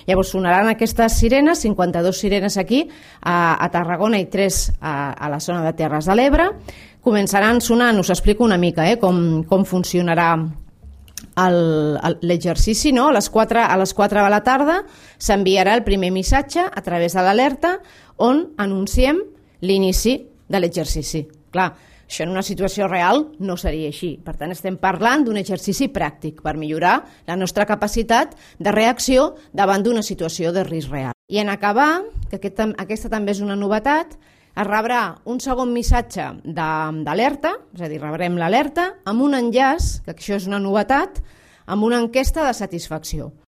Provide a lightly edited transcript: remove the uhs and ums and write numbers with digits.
Llavors sonaran aquestes sirenes, 52 sirenes aquí a Tarragona i 3 a la zona de Terres de l'Ebre. Començaran sonant, us explico una mica com funcionarà l'exercici, no? A les 4 de la tarda s'enviarà el primer missatge a través de l'alerta on anunciem l'inici de l'exercici. Clar, això en una situació real no seria així. Per tant, estem parlant d'un exercici pràctic per millorar la nostra capacitat de reacció davant d'una situació de risc real. I en acabar, que aquesta també és una novetat, es rebrà un segon missatge d'alerta, és a dir, rebrem l'alerta amb un enllaç, que això és una novetat, amb una enquesta de satisfacció.